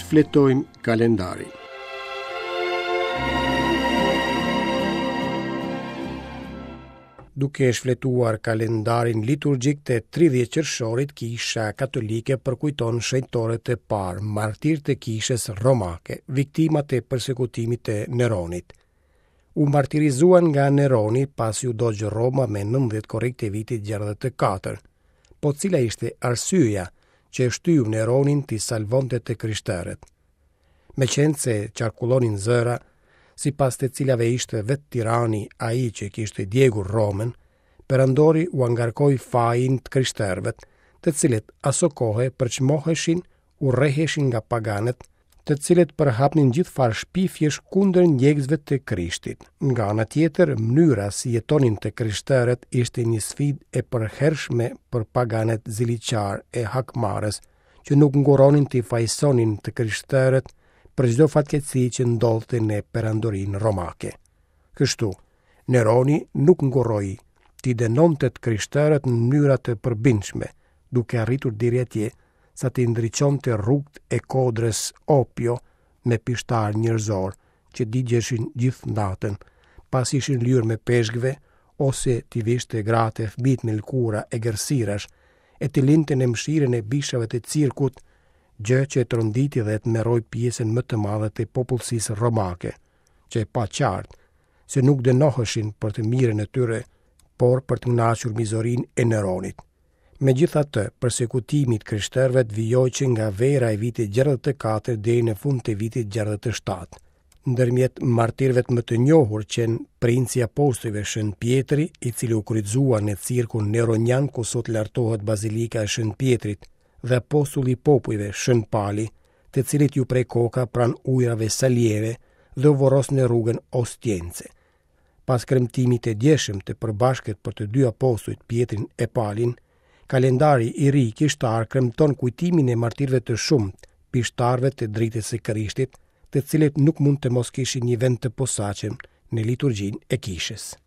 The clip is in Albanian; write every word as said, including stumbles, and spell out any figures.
Shfletojmë kalendarin. Duke shfletuar kalendarin liturgjik të tridhjetë qershorit, Kisha Katolike përkujton shenjtorët e parë, martirë të Kishës Romake, viktimat e persekutimit të Neronit. U martirizuan nga Neroni pasi u dogj Roma me nëntëdhjetë korrik të vitit gjashtëdhjetë e katër. Po cila ishte arsyeja që e shtyu Neronin t'i salvonte të krishterët? Meqenëse qarkullonin zëra, sipas të cilave ishte vetë tirani ai që kishte djegur Romën, perandori ua ngarkoi fajin të krishterëve, të cilët asokohe përçmoheshin, urreheshin nga paganët, të cilët përhapnin gjithfarë shpifjesh kundër ndjekësve të Krishtit. Nga ana tjetër, mënyra si jetonin të krishterët ishte një sfidë e përhershme për paganët ziliqar e hakmarrës, që nuk ngurronin t'i fajsonin të krishterët për çdo fatkeqësi që ndodhte në perandorinë romake. Kështu, Neroni nuk ngurroi t'i dënonte të krishterët në mënyra të përbindshme, duke arritur deri atje sa t'i ndriçonte rrugët e kodrës Opio me pishtar njerëzor që digjeshin gjithë natën, pasi ishin lyer me peshqve, ose t'i vishte gratë e fëmijët me lëkura e gërsirash, e t'i linte në mëshirën e bishave të cirkut, gjë që e tronditi dhe e tmerroi pjesën më të madhe të popullsisë romake, që e pa qartë se nuk dënoheshin për të mirën e tyre, por për të kënaqur mizorinë e Neronit. Megjithatë, persekutimi i krishterëve vijoi që nga vera e vitit gjashtëdhjetë e katër deri në fund të vitit gjashtëdhjetë e shtatë. Ndërmjet martirëve më të njohur qenë princi i apostujve Shën Pjetri, i cili u kryqëzua në cirkun Neronian ku sot lartohet Bazilika e Shën Pjetrit, dhe apostulli i popujve Shën Pali, të cilit ju prej koka pranë ujrave Salieve dhe u vorros në rrugën Ostiense. Pas kremtimit të djeshëm të përbashkët për të dy apostujt Pjetrin e Palin, kalendari i ri kishtar kremton kujtimin e martirëve të shumtë, pishtarëve të dritës së Krishtit, të cilët nuk mund të mos kishin një vend të posaçëm në liturgjinë e kishës.